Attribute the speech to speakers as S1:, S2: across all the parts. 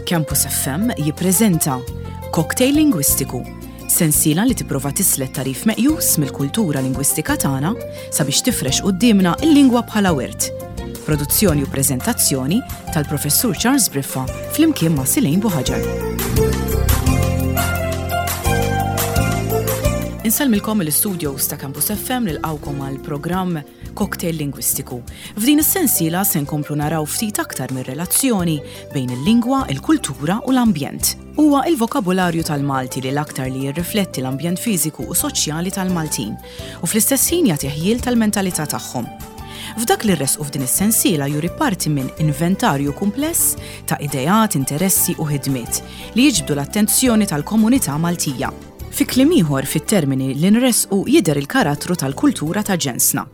S1: Campus FM jippreżenta Cocktail Lingwistiku, sensiela li tipprova tislet tagħrif meqjus mill-kultura lingwistika tagħna sabiex tifrex quddiemna l-lingwa bħala wirt. Produzzjoni u preżentazzjoni tal-Professur Charles Briffa flimkien ma' Silejn Buħaġar. Insellmilkom mill-istudios ta' Campus FM nilqgħukom għal programm Cocktail Lingwistiku. F'din is-sensiela se nkomplu naraw ftit aktar mir-relazzjoni bejn il-lingwa, il-kultura u l-ambjent. Huwa il-vokabularju tal-Malti li l-aktar li jirrifletti l-ambjent fiżiku u soċjali tal-Maltin u fl-istess ħin jagħti ħjiel tal-mentalità tagħhom. F'dak li rresqu f'din is-sensiela juri parti minn inventarju kumpless ta' ideat, interessi u ħidmiet li jiġbdu l-attenzjoni tal-komunità Maltija. Fi kliem ieħor, fit-termini li nressqu jidher il-karattru tal-kultura ta' ġensna.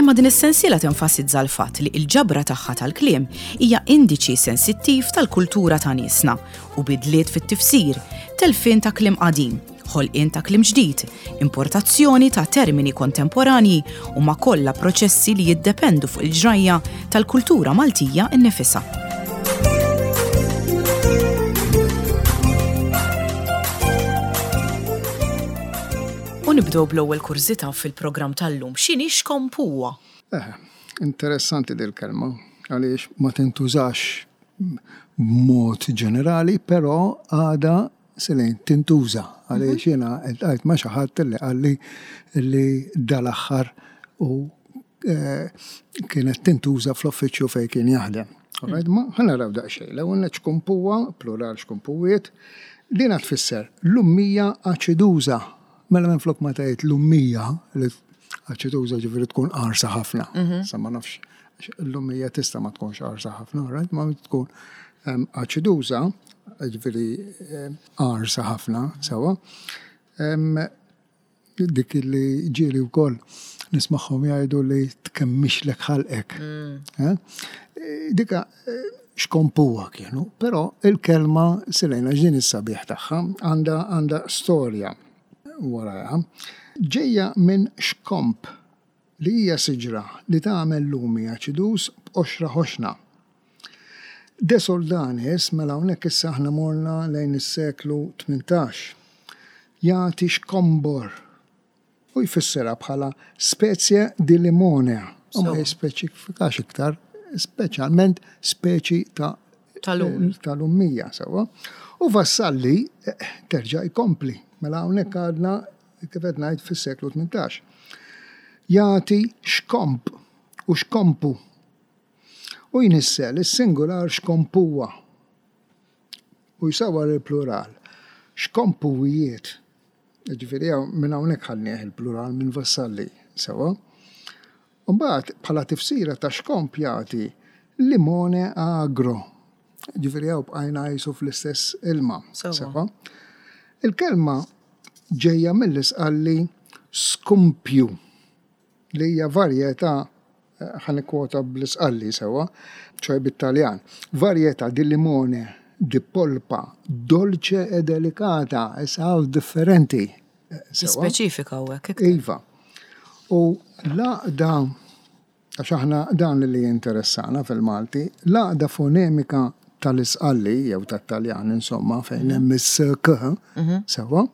S1: Imma din is-sensiela tenfasizza l-fatt li l-ġabra tagħha tal-kliem hija indiċi sensittiv tal-kultura ta' niesna u bidliet fit-tifsir, telfien ta' kliem qadim, ħolqien ta' kliem ġdid, importazzjoni ta' termini kontemporanji huma kollha proċessi li jiddependu fuq il-ġrajja tal-kultura Maltija nnifisha. U nibdew bl-ewwel kurżità fil-programm tal-lum, x'inhi xkompuwa?
S2: Eh, interessanti dil-kelma għaliex ma tintużax b'mod ġenerali, però għadha Selin, tintuża għaliex jiena ltqajt ma' xi ħadd li qalli li dal-aħħar u kienet tintuża fl-uffiċċju fejn kien jaħdem. Alright, ma ħa naraw daqsxejn. L-ewwel nett xkumpuwa, plural xkumpuwiet, dina tfisser l-ummija aċiduża. Mela minflok ma tgħid l-ummija li aċiduża ġifieri tkun qarsa ħafna. Sa ma nafx l-ummija tista' ma tkunx qarsa ħafna, alright, ma tkun aċiduża, ġifieri qarsa ħafna, sewwa. Dik li ġieli wkoll nismagħhom jgħidu li tkemmixlek ħalqek. Mm. Eh? Dika xkompuha kienu, però il-kelma silejna ġdin is-sabiħ tagħha għandha għandha storja warajha. Ġejja minn xkomp li hija siġra li tagħmel lumi aċiduż b'qoxra ħoxna. De Soldanis, mela hawnhekk issa aħna morna lejn is-seklu 18, jagħti xkombor u jfissirha bħala specie di limone u ma jispeċifikax iktar, speċjalment speċi ta' tal-ummija sewwa. U Vassalli eh, terġa' jkompli, mela hawnhekk għadna kif qed ngħid fis-seklu 18. Jagħti xkomp u xkompu U jnissel is-singular xkompuwa u jsawwar il-plural xkompuwijiet. Jiġifieri minn hawnhekk ħadnieh il-plural minn Vassalli, sewwa. U mbagħad bħala tifsira ta' xkomp jagħti limone agro. Jiġifieri hawn bqajna qisu fl-istess ilma, sewwa. Il-kelma ġejja mill-Isqalli skumpju li hija varjetà ħa nikkwota bl-Isqalli sewwa, ċoe bit-Taljan, varietà di limone di polpa dolce e delicata, issa hawn differenti.
S1: Sewwa. Speċifika hawnhekk.
S2: Iva. U l-għaqda, għax aħna dan li jinteressana fil-Malti, l-għaqda fonemika tal-Isqalli jew tat-Taljan insomma fejn hemm is-k, sewwa,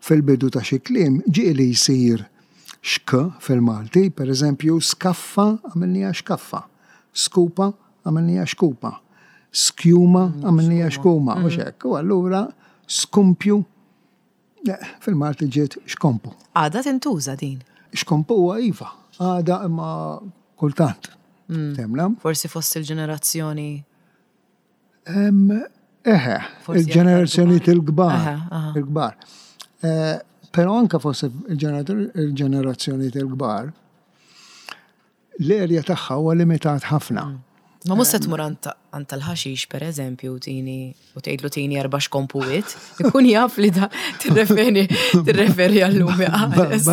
S2: Fil-bidu ta' xi kliem ġieli jsir xk fil-Malti, per eżempju, skaffa għamilniha xkaffa, skupa għamilniha xkupa, skjuma għamilniha xkuma, u hekk. U allura skumpju fil-Malti ġiet xkompu.
S1: Għadha tintuża din?
S2: Xkompuha iva, għadha imma kultant.
S1: Temna? Forsi fost il-ġenerazzjoni
S2: Eħe, il-ġenerazzjonijiet il-kbar. Il-kbar. Eh, però anka fost il-ġenerazzjonijiet il-kbar, l-erja tagħha huwa limitat ħafna. Mm.
S1: Ma mhux se tmur għand tal-ħaxix pereżempju tini u tgħidlu tini erba' xkompuwiet, ikun jaf li da tirreferi tirreferi għal-lumi
S2: qares.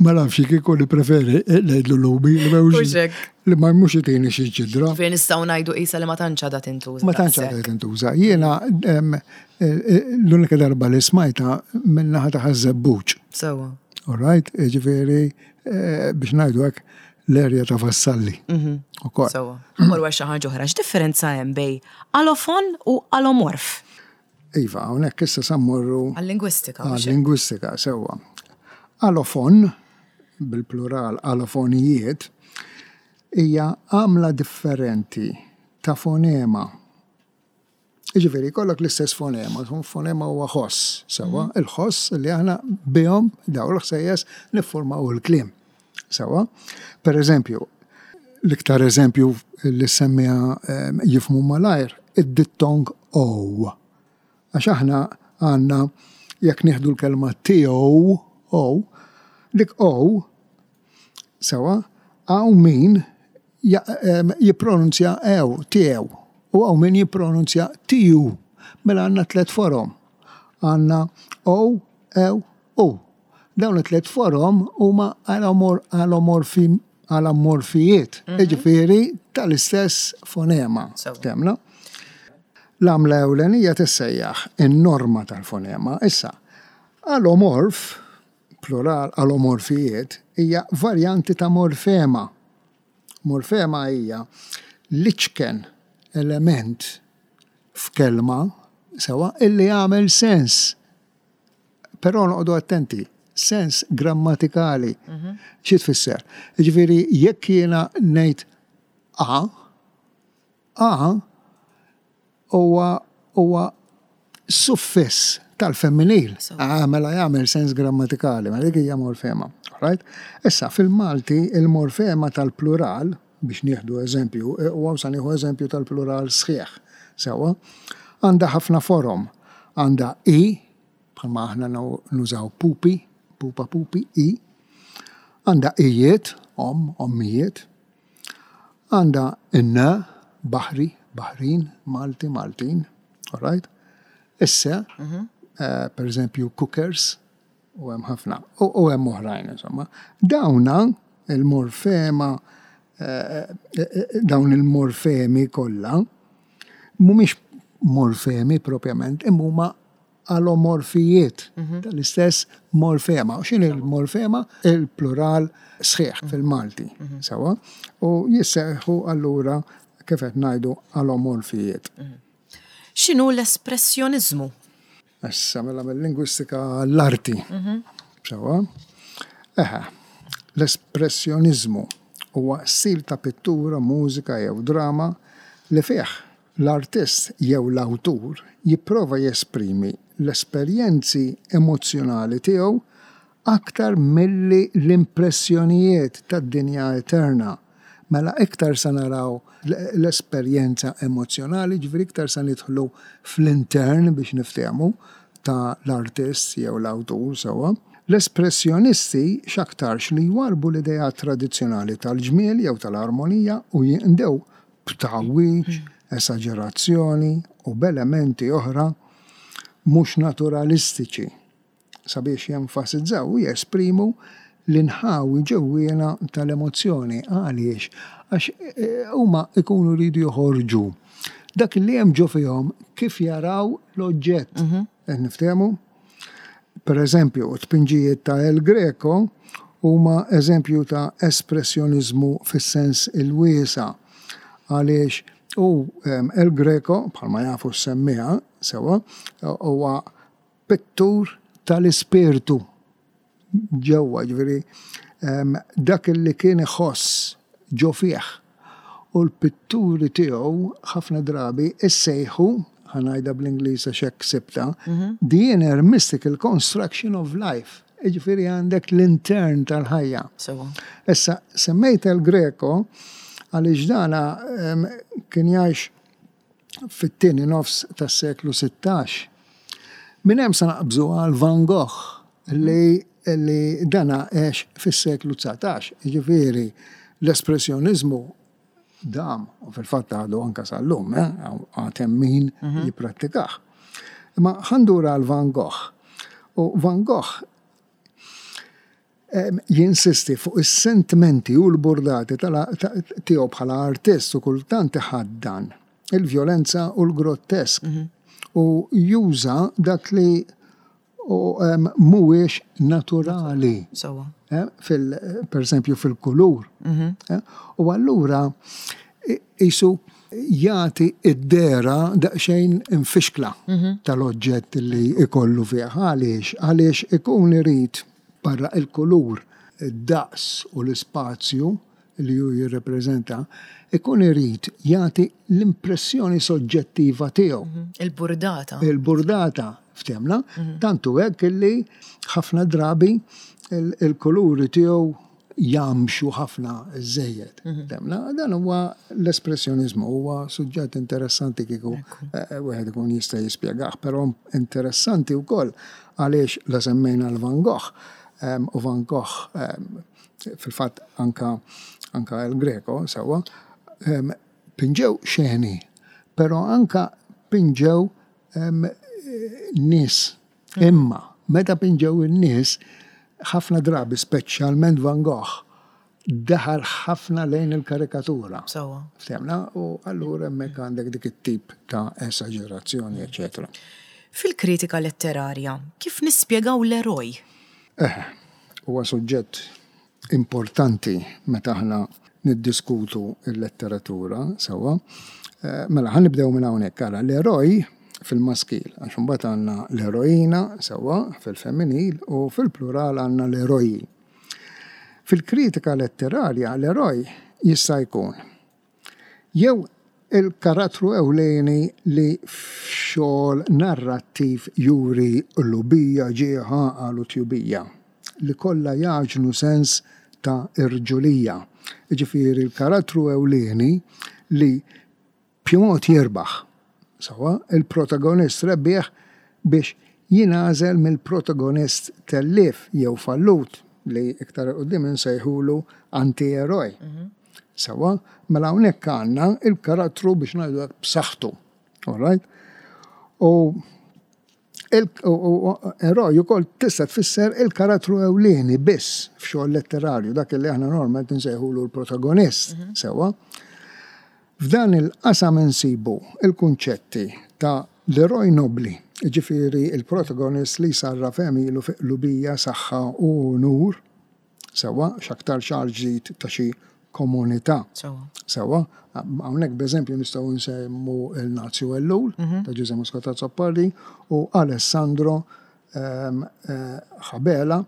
S2: Ma nafx kieku li preferi ngħidlu lumi li Li ma mhux itini xi ġidra.
S1: Fejn nistgħu ngħidu qisha li ma tantx għadha tintuża.
S2: Ma tantx għadha tintuża. Jiena l-unika darba li smajta minn naħa ta' Ħaż-Żebbuġ.
S1: Sewwa.
S2: All right, ġifieri eh, biex ngħidu hekk l-erja ta' Vassalli. Mhm. Ukoll.
S1: Sewwa. Mmorru għal xi ħaġa oħra, x'differenza hemm bejn alofon u alomorf?
S2: Iva, hawnhekk issa sa mmorru
S1: Għal-lingwistika.
S2: Għal-lingwistika, sewwa. Alofon, bil-plural alofonijiet, hija għamla differenti ta' fonema. Jiġifieri jkollok l-istess fonema, fonema huwa ħoss, sewwa, mhm. il-ħoss li aħna bihom daw l-ħsejjes niffurmaw il-kliem. Sewwa? Per eżempju, l-iktar eżempju li semmija ehm, jifmu malajr, id-dittong O. Għax aħna għandna jekk nieħdu l-kelma tiegħu O, dik O sewwa, hawn min jippronunzja ew, tiegħu, u hawn min jippronunzja tiju. Mela għandna tlett forom. Għandna o, ew, u. Dawn it-tliet forom huma alomorfi alomorfijiet, mhm. jiġifieri tal-istess fonema. Temna. L-għamla ewlenija tissejjaħ in-norma tal-fonema. Issa, alomorf plural alomorfijiet, hija varjanti ta' morfema. Morfema hija l-iċken element f'kelma sewwa illi jagħmel sens. Però noqogħdu attenti, sens grammatikali. Mhm. Xi tfisser? Jiġifieri jekk jiena ngħid a, A huwa huwa suffiss tal-femminil. Ah, mela jagħmel sens grammatikali, mela dik hija morfema. Right? Issa fil-Malti il-morfema tal-plural biex nieħdu eżempju, e, u hawn sa nieħu eżempju tal-plural sħiħ. Sewwa, għandha ħafna forom. Għandha i, bħalma aħna nużaw pupi, pupa pupi, i. Għandha ijiet, om, ommijiet. Għandha n, baħri, baħrin, Malti, Maltin, all right? Isse, mhm. eh, per eżempju, cookers, u hemm ħafna, u hemm oħrajn, insomma. Dawna il-morfema, eh, eh, dawn il-morfemi kollha, mhumiex morfemi propjament, imma huma alomorfijiet mhm. tal-istess morfema. U x'inhi l-morfema? Il-plural sħiħ mhm. fil-Malti. Mhm. Sewa? U jisseħħu allura kif qed ngħidu alomorfijiet.
S1: X'inhu l-espressjoniżmu?
S2: Issa mela mill-lingwistika l-arti. Sewa? Eħe, l-espressjoniżmu huwa stil ta' pittura, mużika jew drama li fih L-artist jew l-awtur jipprova jesprimi l-esperjenzi emozzjonali tiegħu aktar milli l-impressjonijiet tad-dinja eterna. Mela iktar sa naraw l-esperjenza emozzjonali, jiġifieri iktar sa nidħlu fl-intern biex niftehmu ta' l-artist jew l-awtur sewwa. L-espressjonisti x'aktarx li jwarrbu l-ideat tradizzjonali tal-ġmiel jew tal-armonija u jinqdew b'tgħawwiġ, esaġerazzjoni u b'elementi oħra mhux naturalistiċi sabiex jenfasizzaw u jesprimu l-inħawi ġewwiena tal-emozzjoni. Għaliex? Għax eh, huma jkunu jridu joħorġu dak li hemm ġo fihom kif jaraw l-oġġett. Mhm. Qed niftehmu? Per eżempju, t-tpinġijiet ta' El Greco huma eżempju ta' espressjoniżmu fis-sens il-wiesa' għaliex hu El Greco, bħalma jafu s-semmiegħa sewwa, huwa pittur tal-ispirtu ġewwa, jiġifieri dak li kien iħoss ġo fih. U l-pitturi tiegħu ħafna drabi issejħu, ħa ngħidha bl-Ingliż għax hekk sibtha, the inner mystical construction of life. Jiġifieri għandek l-intern tal-ħajja. Issa, semmejt El Greco għaliex dana kien jgħix fit-tieni nofs tas-seklu 16. Minn hemm sa naqbżu għal Van Gogh li li dana għex fis-seklu 19. Jiġifieri l-espressjoniżmu dam u fil-fatt għadu anke sal-lum, eh, għad hemm min mhm. jipprattikah. Imma ħandura għal Van Gogh. U Van Gogh jinsisti fuq is-sentimenti u l-burdati tiegħu bħala artist u kultant iħaddan il-vjolenza u l-grottesk mhm. u juża dak li mhuwiex naturali. Eh, fil, per eżempju fil-kulur. Mhm. Eh, u allura Qisu jagħti d-dehra daqsxejn imfixkla tal-oġġett li jkollu fih. Għaliex? Għaliex ikun irid barra l-kulur, id-daqs u l-ispazju li hu jirrepreżenta, ikun irid jagħti l-impressjoni soġġettiva tiegħu.
S1: Il-burdata.
S2: Il-burdata, ftehmna? Tant hu hekk illi ħafna drabi il-kuluri tiegħu jgħammxu ħafna żejjed. Ftehmna? Dan huwa l-espressjoniżmu, huwa suġġett interessanti kieku wieħed ikun jista' jispjegah, però interessanti wkoll għaliex la semmejna l-Van Gogh u Van Gogh fil-fatt anka anka El Greco sewwa pinġew xeni, però anka pinġew nies. Imma meta pinġew in-nies, ħafna drabi, speċjalment Van Gogh, daħal ħafna lejn il-karikatura.
S1: Sewwa.
S2: Ftehmna? U allura hemmhekk għandek dik it-tip ta' esaġerazzjoni, eċċetera.
S1: Fil-kritika letterarja, kif nispjegaw l-eroj?
S2: Eħe, huwa suġġett importanti meta aħna niddiskutu l-letteratura, sewwa. Mela, ħa nibdew minn hawnhekk, ara, l-eroj fil-maskil, għax imbagħad għandna l-eroina, sewwa, fil-femminil, u fil-plural għandna l-eroji. Fil-kritika letterarja l-eroj jista' jkun Jew il-karattru ewlieni li f'xogħol narrattiv juri qlubija, ġieħ, għaqal u tjubija, li kollha jagħġnu sens ta' irġulija. Jiġifieri l-karattru ewlieni li b'xi mod jirbaħ. Sewwa, il-protagonist rebbieħ biex jingħażel mill-protagonist tellief jew fallut li iktar 'il quddiem insejħulu anti-eroj. Sewwa, mela hawnhekk għandna il-karattru biex ngħidu hekk b'saħħtu. All right? U eroj ukoll tista' tfisser il-karattru ewlieni biss f'xogħol letterarju, dak li aħna normalment insejħulu l-protagonist, sewwa. F'dan il-qasam insibu l-kunċetti ta' l-eroj nobbli, jiġifieri l-protagonist li jsarraf għemilu fi qlubija, saħħa u unur, sewwa, x'aktarx għal ġid ta' xi komunità. Sewwa. Hawnhekk b'eżempju nistgħu nsemmu l-Nazju Ellul ta' Ġużè Muscat Azzopardi u Alessandro Ħabela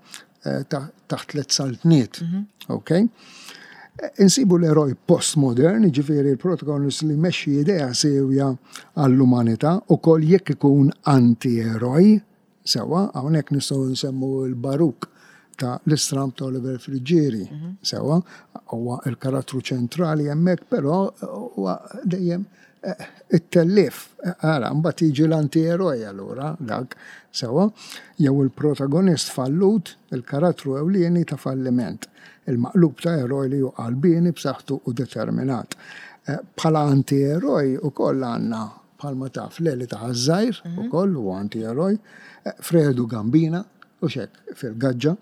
S2: taħt Tliet Saltniet. Ok? Insibu l-eroj postmodern, jiġifieri l-protagonist li jmexxi idea siewja għall-umanità, ukoll jekk ikun anti-eroj, sewwa, hawnhekk nistgħu nsemmu l-Baruk ta' L-Istramb ta' Oliver Friggieri, sewwa, huwa l-karattru ċentrali hemmhekk, però huwa dejjem it-tellief. Ara, mbagħad jiġi l-anti-eroj allura dak, sewwa, jew il-protagonist fallut, il-karattru ewlieni ta' falliment, il-maqlub ta' eroj li hu qalbieni b'saħħtu u determinat. Bħala anti-eroj ukoll għandna bħalma taf Leli ta' Ħaż-Żgħir ukoll huwa anti-eroj, Fredu Gambina, u x'hekk fil-Gaġġa.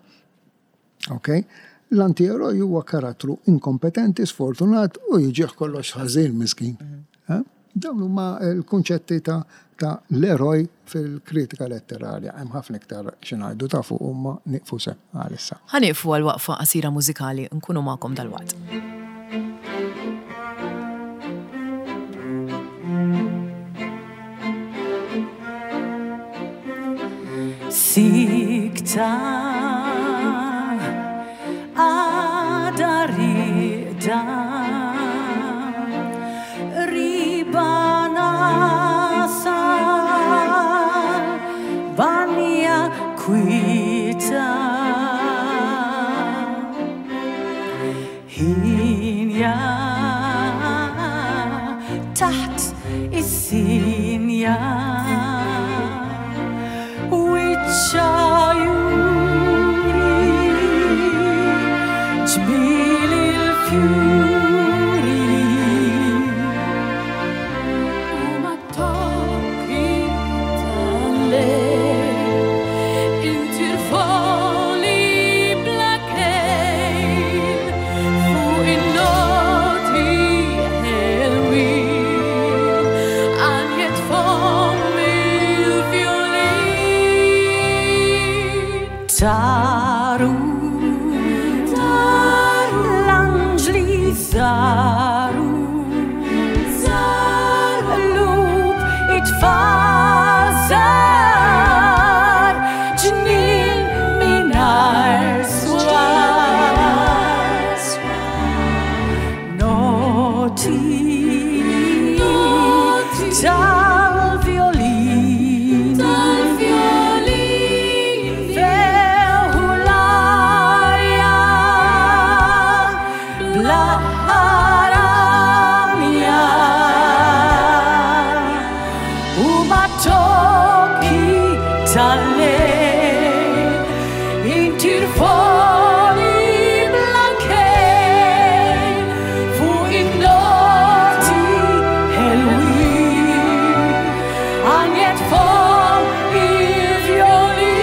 S2: Ok? L-anti-eroj huwa karattru inkompetenti, sfortunat u jiġih kollox ħażin miskin. Eh? Dawn huma l-kunċetti ta' ta' l-eroj fil-kritika letterarja. Hemm ħafna iktar xi ngħidu ta' fuq imma nieqfu se għalissa.
S1: Ħa nieqfu għal waqfa qasira mużikali, nkunu magħkom dalwaqt. Sikta għada riqda Qriba nasal Banja kwita Ħinja taħt is-sinja Wiċċha juri ġmiel il-fjuri U mat-tokki tal-lejl intir foli bla kejl fuq in-noti ħelwin għanjet fomm il-fjolin. In-noti tal-violini Feħu l-arja bla aramja U ma' tokki tal-lejl intir foli bla kejl fuq in-noti ħelwin għanjet fuq il-vjolin.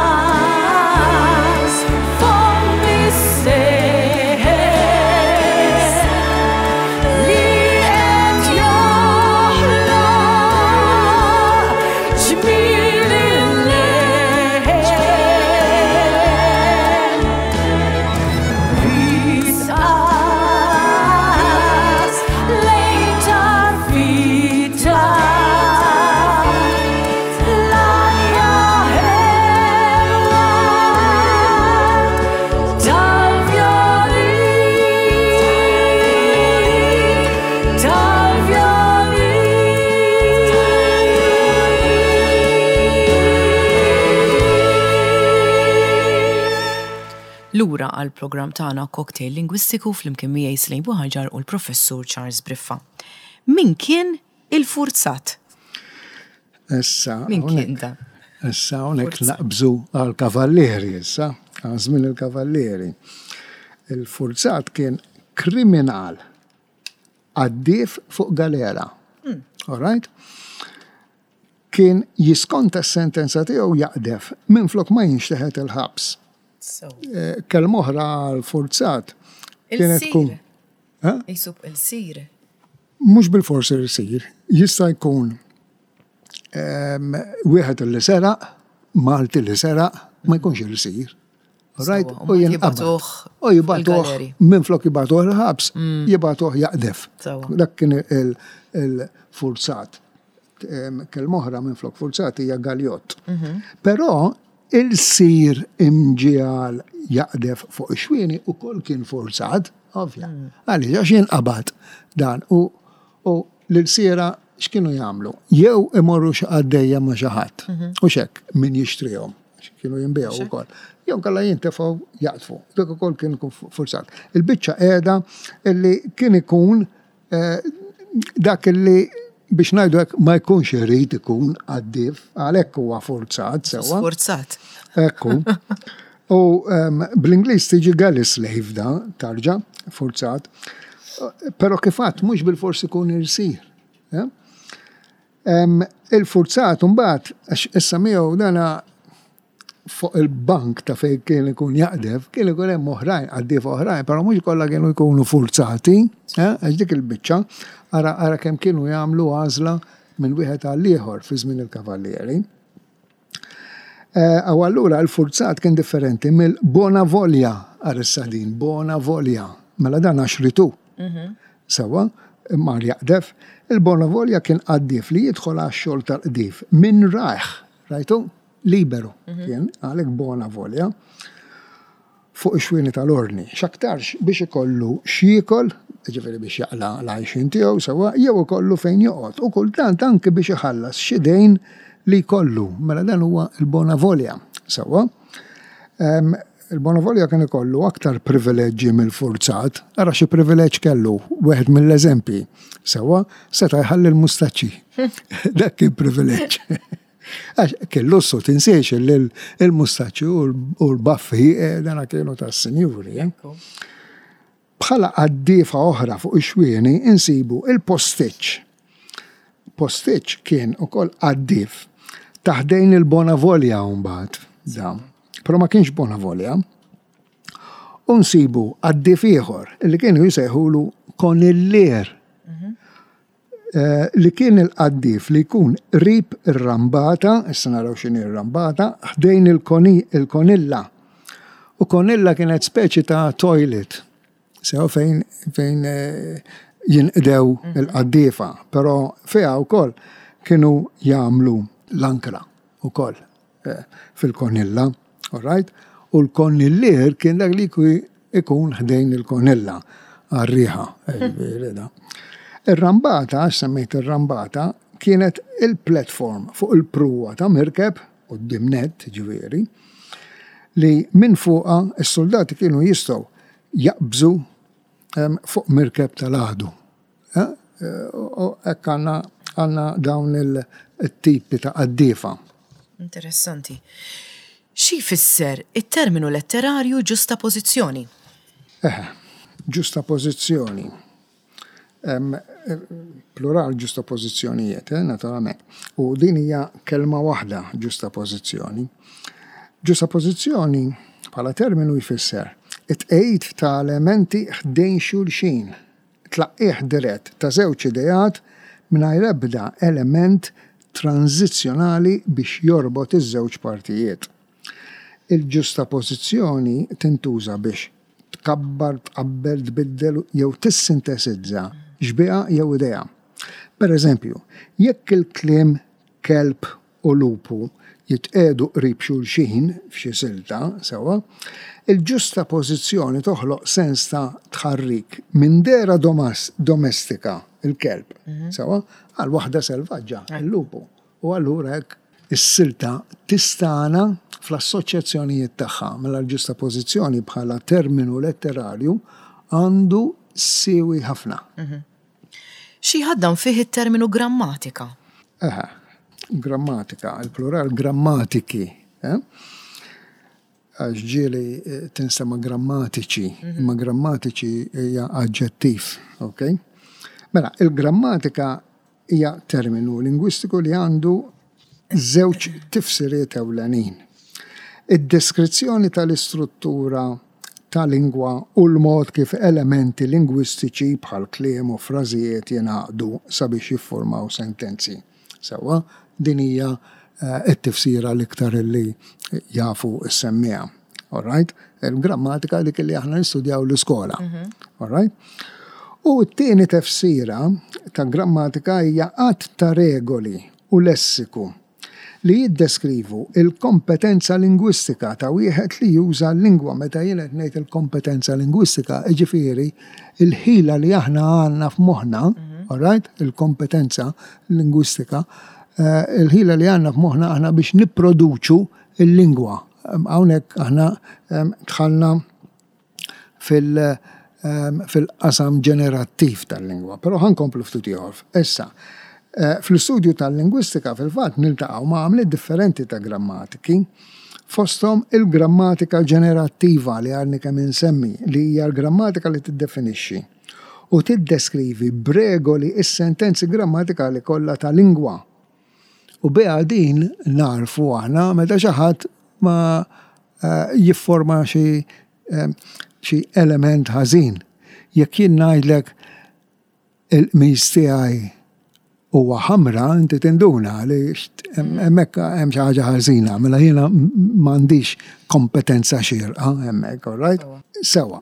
S1: Ismas fommi stess li qed joħloq ġmiel il-lejl. Risqas lejn tarfita l-arja ħelwa tal-vjolin, tal-vjolin. Lura għall-programm tagħna Cocktail Lingwistiku flimkien miegħi Slejn Buħaġar u l-Professur Charles Briffa. Min kien il-furzat?
S2: Issa.
S1: Min kien da?
S2: Issa hawnhekk naqbżu għall-kavallieri issa, għal żmien il-kavallieri. Il-furzat kien kriminal għaddief fuq galera. All right? Kien jiskonta s-sentenza tiegħu jaqdef minflok ma jinxteħet il-ħabs. Kelma oħra għall-furzat kienet tkun.
S1: Jisub il-sir.
S2: Mhux bilfors il-sir, jista' jkun wieħed li seraq, Malti li seraq, ma jkunx il-sir. Right? U jinqabad. U jibatuh, minflok jibatuh il-ħabs, jibatuh jaqdef. Dak kien il-furzat. Kelma oħra minflok furzat hija galjott. Però il-sir imġiegħel jaqdef fuq ix-xwieni ukoll kien furzat, ovvja. Għaliex għax jinqabad dan u l-ilsiera x'kienu jagħmlu? Jew imorru xi qaddejja ma' xi ħadd. U x'hekk min jixtrihom, għax kienu jinbiegħu wkoll. Jew inkella jintefgħu jaqdfu. Dak ukoll kien ikun furzat. Il-biċċa qiegħda illi kien ikun dak illi biex ngħidu hekk ma jkunx irid ikun għaddief, għalhekk huwa forzat sewwa.
S1: Sforzat.
S2: Ekku. U bl-Ingliż tiġi galley slave da, tarġa, forzat. Però kif għadt mhux bilfors ikun irsir. Il-forzat mbagħad għax issa miegħu dana fuq il-bank ta' fejn kien ikun jaqdef, kien ikun hemm oħrajn, qaddiefa oħrajn, però mhux kollha kienu jkunu furzati, għax dik il-biċċa, ara ara kemm kienu jagħmlu għażla minn wieħed għal ieħor fi żmien il-kavallieri. U allura l-furzat kien differenti mill-bona volja, ara issa din, bona volja. Mela dan għax ritu. Sewwa, mar jaqdef. Il-bona volja kien qaddief li jidħol għax-xogħol tal-qdif minn rajh, rajtu? Liberu kien, għalhekk bona volja, fuq ix-xwieni tal-ordni, x'aktarx biex ikollu x'jiekol, jiġifieri biex jaqla' l-għajxien tiegħu sewwa, jew ikollu fejn joqgħod, u kultant anki biex iħallas xi dejn li jkollu. Mela dan huwa l-bona volja, sewwa. Il-bona volja kien ikollu aktar privileġġi mill-furzat. Ara xi privileġġ kellu, wieħed mill-eżempji, sewwa, seta' jħalli l-mustaċċi. Dak kien privileġġ. Għax kien lussu, tinsiex li l-mustaċċi u l-baffi eh, dana kienu tas-sinjuri. Eh. Bħala qaddiefa oħra fuq ix-xwieni insibu il-postiċ. Postiċ kien ukoll qaddief taħdejn il-Bonavolja mbagħad da. Però ma kienx Bonavolja. U nsibu qaddief ieħor li kienu jsejħulu konillier. Mhm. Li kien il-qaddif li jkun qrib ir-rambata, issa naraw x'inhi r-rambata, ħdejn il-konilla. U konilla kienet speċi ta' toilet, sew fejn fejn jinqdew il-qaddiefa, però fiha wkoll kienu jagħmlu l-ankra wkoll fil-konilla, all right? U l-konillier kien dak li ikun ħdejn il-konilla għar-riħa. Ir-rambata, semmejt ir-rambata, kienet il-platform fuq il-pruwa ta' mirkeb, quddiem nett, ġifieri, li minn fuqha s-suldati kienu jistgħu jaqbżu fuq mirkeb tal-għadu. U hekk għandna għandna dawn il-tipi ta' qaddiefa.
S1: Interessanti. Xi jfisser it-terminu letterarju ġustapożizzjoni?
S2: Eħe, ġustapożizzjoni. Plural ġustapożizzjonijiet, eh, naturalment. U din hija kelma waħda ġustapożizzjoni. Ġustapożizzjoni bħala terminu jfisser it-tqegħid ta' elementi ħdejn xulxin Tlaqqigħ dirett ta' żewġ ideat mingħajr ebda element tranżizzjonali biex jorbot iż-żewġ partijiet. Il-ġustapożizzjoni tintuża biex tkabbar, tqabbel, tbiddel jew tissintesizza xbieha jew idea. Pereżempju, jekk il-kliem kelb u lupu jitqiegħdu qrib xulxin f'xi silta, sewwa, il-ġustapożizzjoni toħloq sens ta' tħarrik minn dehra domestika, il-kelb, sewwa, għal waħda selvaġġa, il-lupu. U allura hekk is-silta tistagħna fl-assoċjazzjonijiet tagħha. Mela l-ġustapożizzjoni bħala terminu letterarju għandu siwi ħafna.
S1: Xi jħaddan fih it-terminu grammatika?
S2: Eħe, grammatika, il-plural grammatiki. Eh? Għax ġieli eh, tinstema' grammatiċi, mhm. imma grammatiċi hija aġġettiv, ok? Mela, il-grammatika hija terminu lingwistiku li għandu żewġ tifsiriet ewlenin. Id-deskrizzjoni tal-istruttura ta' lingwa u l-mod kif elementi lingwistiċi bħal kliem u frażijiet jingħaqdu sabiex jiffurmaw sentenzi. Sewwa, din hija t-tifsira l-iktar li jafu s-semmiegħa. All right? Il-grammatika dik li aħna nistudjaw l-iskola. Mhm. All right? U t-tieni tefsira ta' grammatika hija għadd ta' regoli u lessiku li jiddeskrivu l-kompetenza lingwistika ta' wieħed li juża l-lingwa. Meta jien qed ngħid il-kompetenza lingwistika, jiġifieri l-ħila li aħna għandna f'moħħna, mhm. all right, il-kompetenza lingwistika, eh, il-ħila li għandna f'moħħna aħna biex nipproduċu l-lingwa. Hawnhekk aħna dħalna fil-qasam ġenerattiv tal-lingwa. Però ħa nkomplu ftit ieħor. Issa, eh, fl-istudju tal-lingwistika fil-fatt niltaqgħu ma' għamliet differenti ta' grammatiki, fosthom il-grammatika ġenerattiva li għadni kemm insemmi, li hija l-grammatika li tiddefinixxi u tiddeskrivi b'regoli s-sentenzi grammatikali kollha ta' lingwa. U biha din nagħrfu aħna meta xi ħadd ma eh, jifforma xi eh, xi element ħażin. Jekk jien ngħidlek il-qmis tiegħi huwa ħamra, inti tinduna li hemmhekk hemm xi ħaġa ħażina, mela jiena m'għandix kompetenza xierqa hemmhekk, all right? Sewa.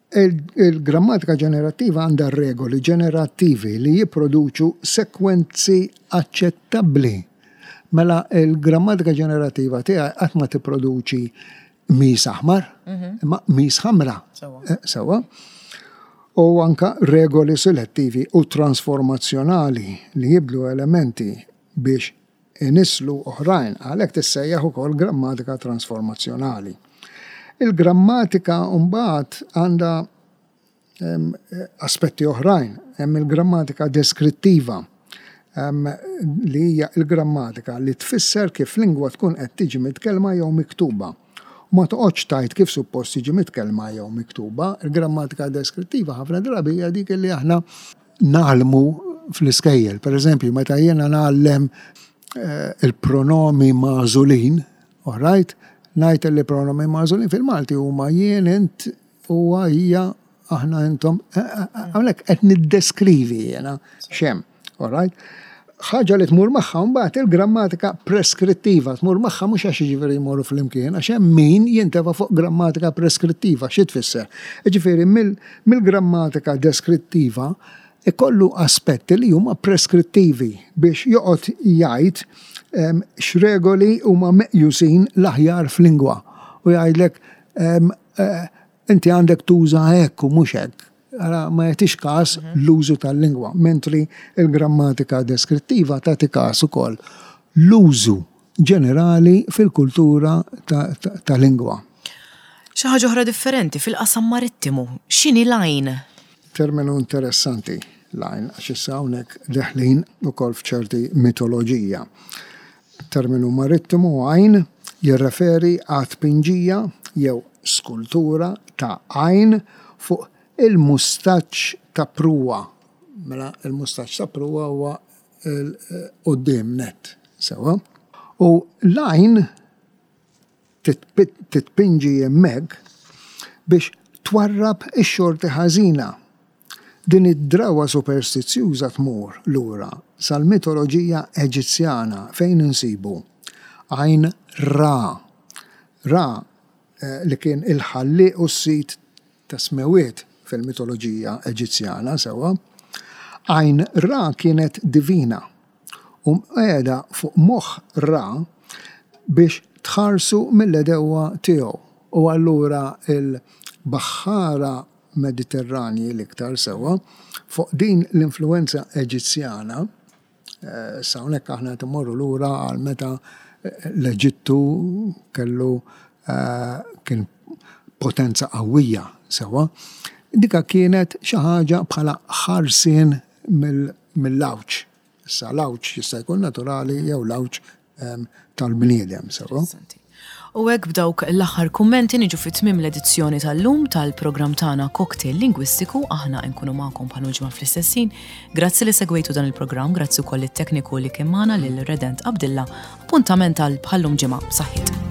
S2: Il-grammatika ġenerattiva għandha regoli ġenerattivi li jipproduċu sekwenzi aċċettabbli. Mela il-grammatika ġenerattiva tiegħi qatt ma tipproduċi qmis aħmar, mhm. imma qmis ħamra. Eh, sewwa. U anka regoli selettivi u transformazzjonali li jibdlu elementi biex inisslu oħrajn, għalhekk tissejjaħ ukoll grammatika transformazzjonali. Il-grammatika mbagħad għandha aspetti oħrajn, hemm il-grammatika deskrittiva li hija l-grammatika li tfisser kif lingwa tkun qed tiġi mitkellma jew miktuba. U ma toqgħodx tgħid kif suppost tiġi mitkellma jew miktuba. Il-grammatika deskrittiva ħafna drabi hija dik li aħna ngħallmu fl-iskejjel. Per eżempju, meta jiena ngħallem eh, il-pronomi magħżulin, all right, ngħid li pronomi magħżulin fil-Malti huma jien, int, huwa, hija, aħna, intom. Eh, eh, hawnhekk qed niddeskrivi jiena x'hemm. All right? Ħaġa li tmur magħha mbagħad il-grammatika preskrittiva, tmur magħha mhux għax jiġifieri jmorru flimkien, għax hemm min jintefa' fuq grammatika preskrittiva, xi tfisser? Jiġifieri mill-grammatika deskrittiva ikollu aspetti li huma preskrittivi biex joqgħod jgħid x'regoli huma meqjusin l-aħjar f'lingwa u jgħidlek eh, inti għandek tuża hekk u mhux hekk. Ara ma jagħtix każ l-użu tal-lingwa, mentri l-grammatika deskrittiva tagħti każ ukoll l-użu ġenerali fil-kultura ta' lingwa.
S1: Xi ħaġa oħra differenti fil-qasam marittimu, x'inhi l-għajn?
S2: Terminu interessanti l-għajn għax issa hawnhekk deħlin ukoll f'ċerti mitoloġija. Terminu marittimu għajn jirreferi għat-tpinġija jew skultura ta' għajn fuq il-mustaċċ ta' pruwa. Mela il-mustaċċ ta' pruwa huwa quddiem nett, sewwa. U l-għajn titpinġi hemmhekk biex twarrab ix-xorti ħażina. Din id-drawwa superstizzjuża tmur lura sal-mitoloġija Eġizzjana fejn insibu għajn Ra. Ra li kien il-ħallieq u s-sid tas-smewwiet fil-mitoloġija Eġizzjana, sewwa. Għajn Ra kienet divina u mqiegħda fuq moħħ Ra biex tħarsu mill-għedewwa tiegħu u allura l-baħħara Mediterranji l-iktar sewwa fuq din l-influwenza Eġizzjana, issa hawnhekk aħna qed immorru lura għal meta l-Eġittu kellu kien potenza qawwija sewwa, dika kienet xi ħaġa bħala ħarsien mill-għawġ. Issa l-għawġ jista' jkun naturali jew l-għawġ tal-bniedem, sewwa.
S1: U hekk b'dawk l-aħħar kummenti niġu fi tmiem l-edizzjoni tal-lum tal-programm tagħna Cocktail Lingwistiku aħna nkunu magħkom bħal ġimgħa fl-istess ħin. Grazzi li segwejtu dan il-programm, grazzi wkoll it-tekniku li kien magħna lil Redent Abdilla. Appuntament għal bħallum ġimgħa. Saħħiet.